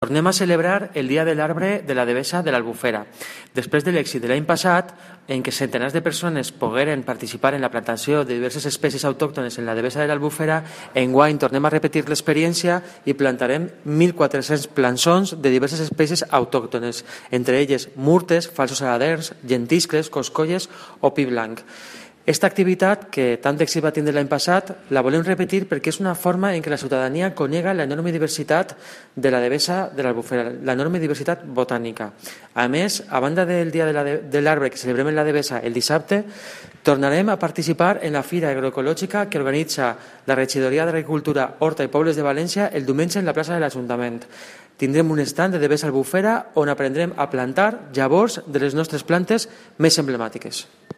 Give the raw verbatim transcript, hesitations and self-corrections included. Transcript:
Tornem a celebrar el Dia de l'Arbre de la Devesa de l'Albufera. Després de l'èxit de l'any passat, en què centenars de persones pogueren participar en la plantació de diverses espècies autòctones en la Devesa de l'Albufera, enguany tornem a repetir l'experiència i plantarem mil quatre-cents plançons de diverses espècies autòctones, entre elles murtes, falsos aladers, llentiscles, coscolles o pi blanc. Aquesta activitat, que tant d'èxit va tindre l'any passat, la volem repetir perquè és una forma en què la ciutadania conega l'enorme diversitat de la Devesa de l'Albufera, l'enorme diversitat botànica. A més, a banda del Dia de l'Arbre que celebrem en la Devesa el dissabte, tornarem a participar en la Fira Agroecològica que organitza la Regidoria d'Agricultura, Horta i Pobles de València el diumenge en la plaça de l'Ajuntament. Tindrem un estand de Devesa Albufera on aprendrem a plantar llavors de les nostres plantes més emblemàtiques.